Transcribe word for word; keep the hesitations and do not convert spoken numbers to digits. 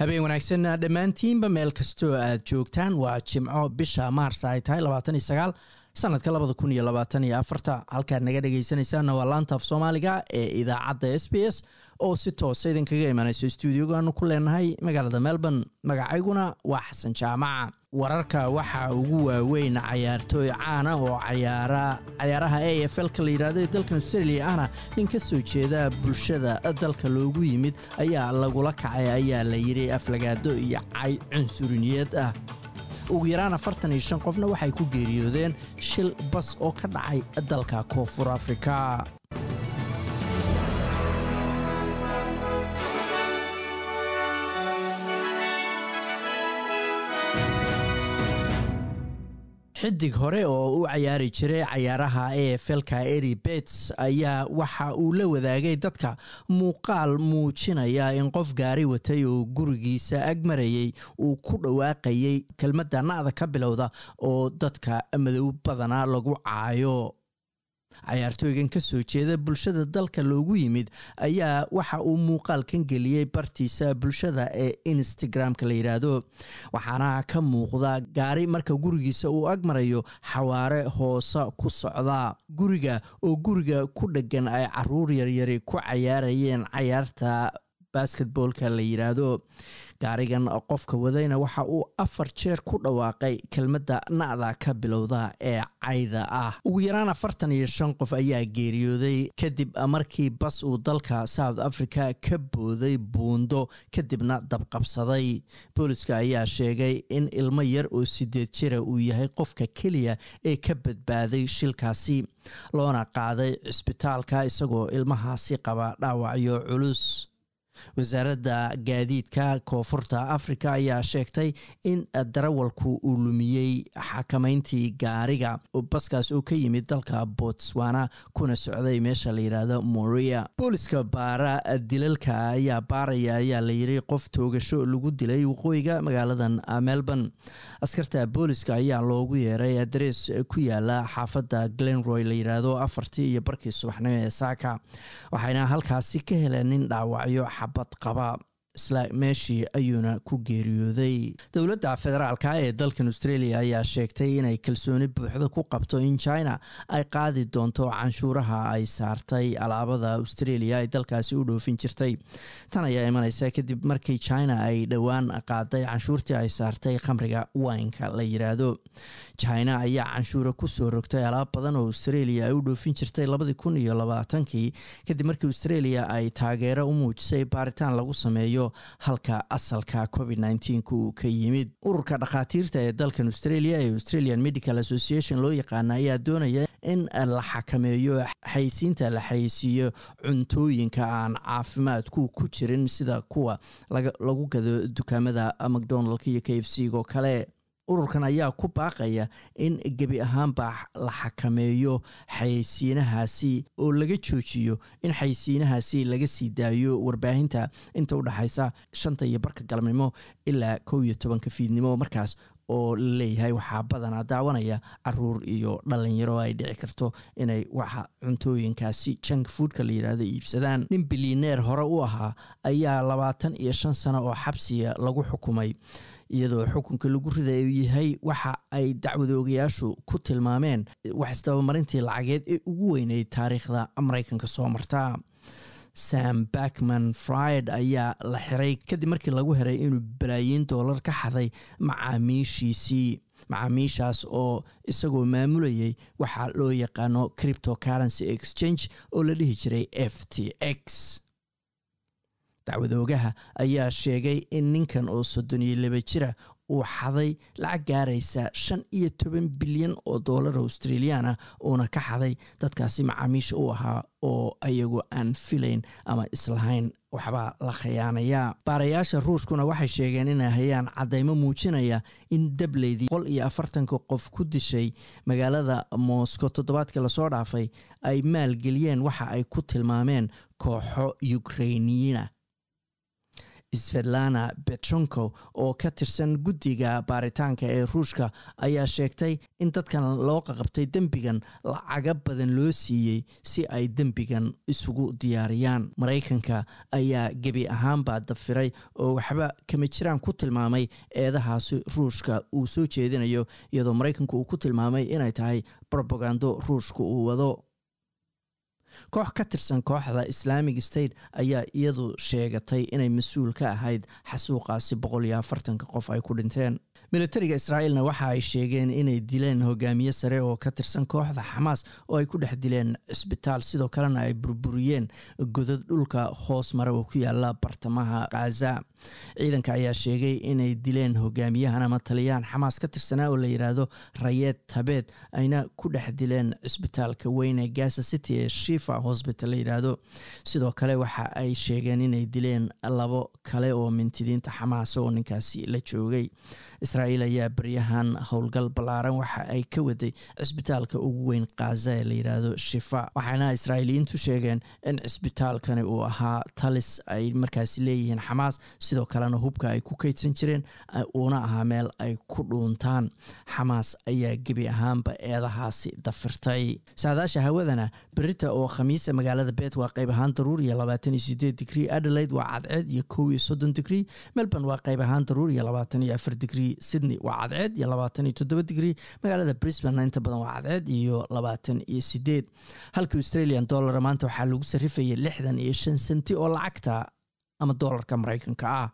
Habeen wanaagsan dhammaantiinba meel kastoo aad joogtaan. Waa Jimco, bisha Maars ay tahay labaatan iyo sagaal, sanadka labada kun iyo labaatan iyo afarta. Halkaad naga dhegaysanaysaana waa laanta af Soomaaliga ee idaacadda S B S oo si toosa idinkaga imanayso stuudiogaanu ku leenahay magaalada Melbourne. Magacayguna waa Xasan Jaamaca. Wararka waxaa ugu waaweyn cayaartooy caana oo cayaara cayaaraha A F L-ka la yidhahdo ee dalkan Australia ahna nin ka soo jeeda bulshada dalka loogu yimid ayaa lagula kacay, ayaa la yidhi, aflagaado iyo cay cunsuriniyeed ah. Ugu yaraan afartan iyo shan qofna waxay ku geeriyoodeen shil bas oo ka dhacay dalka Koonfur Afrika. Xidig hore oo u cayaari jiray cayaaraha A F L-ka, Eddie Betts, ayaa waxa uu la wadaagay dadka muuqaal muujinaya in qof gaari watay oo gurigiisa ag marayay uu ku dhawaaqayay kelmadda na'da ka bilowda oo dadka madow badanaa lagu caayo. Cayaartooygan ka soo jeeda bulshada dalka loogu yimid ayaa waxa uu muuqaalkan geliyey bartiisa bulshada ee Instagram-ka la yidhaahdo, waxaana ka muuqda gaari marka gurigiisa uu ag marayo xawaare hoose ku socda, guriga oo guriga ku dhegan ay caruur yaryari ku cayaarayeen cayaarta basketballka la yidhaahdo. Gaarigan qofka wadayna waxa uu afar jeer ku dhawaaqay kelmadda na'da ka bilowda ee cayda ah. Ugu yaraan afartan iyo shan qof ayaa geeriyooday kadib markii bas uu dalka South Africa ka booday buundo, kadibna dabqabsaday. Booliska ayaa sheegay in ilmo yar oo sideed jira uu yahay qofka keliya ee ka badbaaday shilkaasi, loona qaaday cisbitaalka isagoo ilmahaasi qaba dhaawacyo culus. Wasaaradda gaadiidka Koonfurta Africa ayaa sheegtay in darawalku uu lumiyey xakameyntii gaariga baskaas oo ka yimid dalka Botswana kuna socday meesha la yidhaahdo Moria. Booliska baara dilalka ayaa baaraya, ayaa la yiri, qof toogasho lagu dilay waqooyiga magaaladan Melbourne. Askarta booliska ayaa loogu yeeray adrees ku yaala xaafadda Glenroy la yidhaahdo afartii iyo barkii subaxnimo ee saaka, waxayna halkaasi ka heleen nin dhaawacyo xabad qaba. Isla meeshii ayuuna ku geeriyooday. Dowladda federaalka ee dalkan Australia ayaa sheegtay inay kalsooni buuxda ku qabto in China ay qaadi doonto canshuuraha ay saartay alaabada Australia ay dalkaasi u dhoofin jirtay. Tan ayaa imaneysa kadib markii China ay dhowaan qaaday canshuurtii ay saartay khamriga wineka la yiraahdo. China ayaa canshuura kusoo rogtay alaab badan oo Australia ay u dhoofin jirtay labadii kun iyo labaatankii, kadib markii Australia ay taageero u muujisay baaritaan lagu sameeyo halka asalka COVID uu ka yimid. Ururka dhakhaatiirta ee dalkan Australia ee Australian Medical Association loo yaqaana ayaa doonaya in la xakameeyo xaysiinta la xaysiiyo cuntooyinka aan caafimaadku ku jirin, sida kuwa lagu gado dukaamada McDonaldka iyo K F C oo kale. Ururkan ayaa ku baaqaya in gebi ahaanba la xakameeyo xayeysiinahaasi oo laga joojiyo in xayeysiinahaasi laga sii daayo warbaahinta inta u dhexaysa shanta iyo barka galabnimo ilaa kow iyo tobanka fiidnimo, markaas oo la leeyahay waxaa badanaa daawanaya caruur iyo dhalinyaro ay dhici karto inay waxa cuntooyinkaasi junk foodka la yidhaahdo iibsadaan. Nin bilyaneer hore u ahaa ayaa labaatan iyo shan sano oo xabsiya lagu xukumay, iyadoo xukunka lagu riday uu yahay waxa ay dacwadoogayaashu ku tilmaameen wax isdabamarintii lacageed ee ugu weyneyd taariikhda Mareykanka soo marta. Sam Bankman Fried ayaa la xiray kadib markii lagu heray inuu balaayiin doolar ka xaday macaamiishiisii, macaamiishaas oo isagoo maamulayay waxaa loo yaqaano cryptocurrency exchange oo la dhihi jiray F T X. Dacwadoogaha ayaa sheegay in ninkan oo soddon iyo laba jira uu xaday lacag gaaraysa shan iyo toban bilyan oo doolar Australian ah, uuna ka xaday dadkaasi macaamiisha u ahaa oo ayagu aan filayn ama islahayn waxbaa la khiyaanayaa. Baarayaasha Ruushkuna waxay sheegeen inay hayaan caddaymo muujinaya in dableydii boqol iyo afartanka qof ku dishay magaalada Moscow toddobaadkii lasoo dhaafay ay maalgeliyeen waxa ay ku tilmaameen kooxo Ukrainiyiina. Svetlana Petrenko oo ka tirsan guddiga baaritaanka ee Ruushka ayaa sheegtay in dadkan loo qaqabtay dembigan lacaga badan loo siiyey si ay dembigan isugu diyaariyaan. Maraykanka ayaa gebi ahaanbaa dafiray oo waxba kama jiraan ku tilmaamay eedahaasi Ruushka uu soo jeedinayo, iyadoo Maraykanku uu ku tilmaamay inay tahay brobagando Ruushka uu wado. Koox ka tirsan kooxda Islamic State ayaa iyadu sheegatay inay mas-uul ka ahayd xasuuqaasi boqol iyo afartanka qof ay ku dhinteen. Militariga Israa'iilna waxa ay sheegeen inay dileen hogaamiye sare oo ka tirsan kooxda Xamaas oo ay ku dhex dileen cisbitaal, sidoo kalena ay burburiyeen godad dhulka hoos mara oo ku yaala bartamaha Khaza. Ciidanka ayaa sheegay inay dileen hogaamiyahan ama taliyaan Xamaas ka tirsanaa oo la yidhaahdo Rayeed Tabeed, ayna ku dhex dileen cisbitaalka weyn ee Gaza City ee Shifa Hospital la yidhaahdo. Sidoo kale waxa ay sheegeen inay dileen labo kale oo mintidiinta Xamaas oo ninkaasi la joogay. Israa'iil ayaa baryahan howlgal ballaaran waxa ay ka waday cisbitaalka ugu weyn Khaza ee la yidhaahdo Shifa, waxaana Israa'iiliyiintu sheegeen in cisbitaalkani uu ahaa talis ay markaasi leeyihiin Xamaas, sidoo kalena hubka ay ku kaydsan jireen, uuna ahaa meel ay ku dhuuntaan. Xamaas ayaa gebi ahaanba eedahaasi dafirtay. Saadaasha hawadana, berita oo Khamiisa, magaalada Perth waa qayb ahaan daruur iyo labaatan iyo sideed digrii. Adelaide waa cadceed iyo kow iyo soddon digrii. Melbourne waa qayb ahaan daruur iyo labaatan iyo afar digrii. Sydney waa cadceed iyo labaatan iyo toddoba digrii. Magaalada Brisbane inta badan waa cadceed iyo labaatan iyo sideed. Halka Australian dollar maanta waxaa lagu sarifayay lixdan iyo shan senti oo lacagta ama doolarka Maraykanka ah.